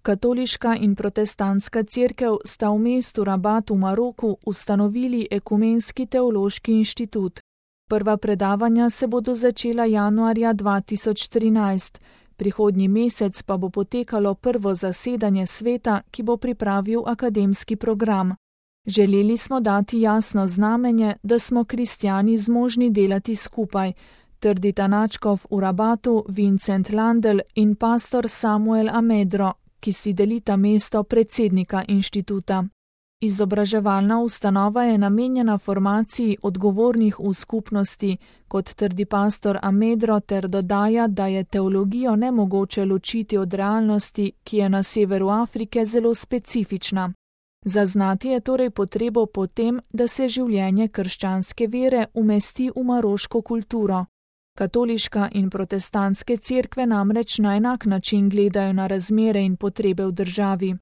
Katoliška in protestantska cerkev sta v mestu Rabat v Maroku ustanovili Ekumenski teološki inštitut. Prva predavanja se bodo začela januarja 2013, prihodnji mesec pa bo potekalo prvo zasedanje sveta, ki bo pripravil akademski program. Želeli smo dati jasno znamenje, da smo kristjani zmožni delati skupaj, trdita nadškof v Rabatu Vincent Landel in pastor Samuel Amedro, ki si delita mesto predsednika inštituta. Izobraževalna ustanova je namenjena formaciji odgovornih v skupnosti, kot trdi pastor Amedro, ter dodaja, da je teologijo nemogoče ločiti od realnosti, ki je na severu Afrike zelo specifična. Zaznati je torej potrebo po tem, da se življenje krščanske vere umesti v maroško kulturo. Katoliška in protestantske cerkve namreč na enak način gledajo na razmere in potrebe v državi.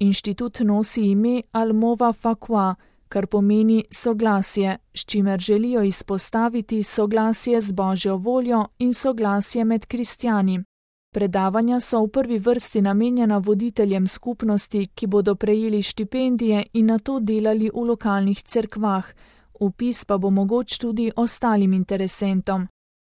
Inštitut nosi ime Al-Mova Fakwa, kar pomeni soglasje, s čimer želijo izpostaviti soglasje z Božjo voljo in soglasje med kristjani. Predavanja so v prvi vrsti namenjena voditeljem skupnosti, ki bodo prejeli štipendije in nato delali v lokalnih cerkvah, vpis pa bo mogoč tudi ostalim interesentom.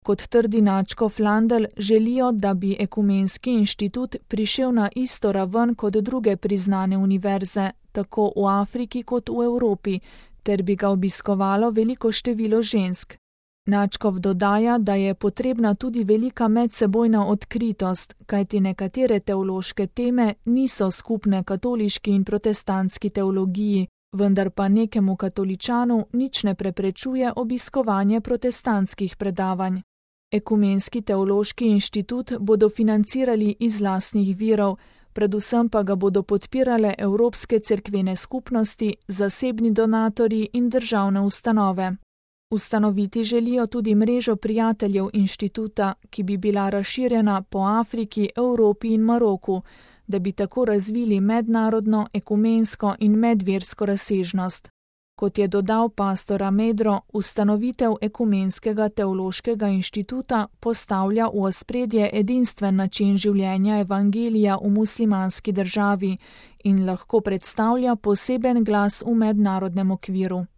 Kot trdi nadškof Landel, želijo, da bi Ekumenski inštitut prišel na isto raven kot druge priznane univerze, tako v Afriki kot v Evropi, ter bi ga obiskovalo veliko število žensk. Nadškof dodaja, da je potrebna tudi velika medsebojna odkritost, kajti nekatere teološke teme niso skupne katoliški in protestantski teologiji, vendar pa nekemu katoličanu nič ne preprečuje obiskovanje protestantskih predavanj. Ekumenski teološki inštitut bodo financirali iz lastnih virov, predvsem pa ga bodo podpirale evropske cerkvene skupnosti, zasebni donatorji in državne ustanove. Ustanoviti želijo tudi mrežo prijateljev inštituta, ki bi bila razširjena po Afriki, Evropi in Maroku, da bi tako razvili mednarodno, ekumensko in medversko razsežnost. Kot je dodal pastor Amedro, ustanovitev Ekumenskega teološkega inštituta postavlja v ospredje edinstven način življenja evangelija v muslimanski državi in lahko predstavlja poseben glas v mednarodnem okviru.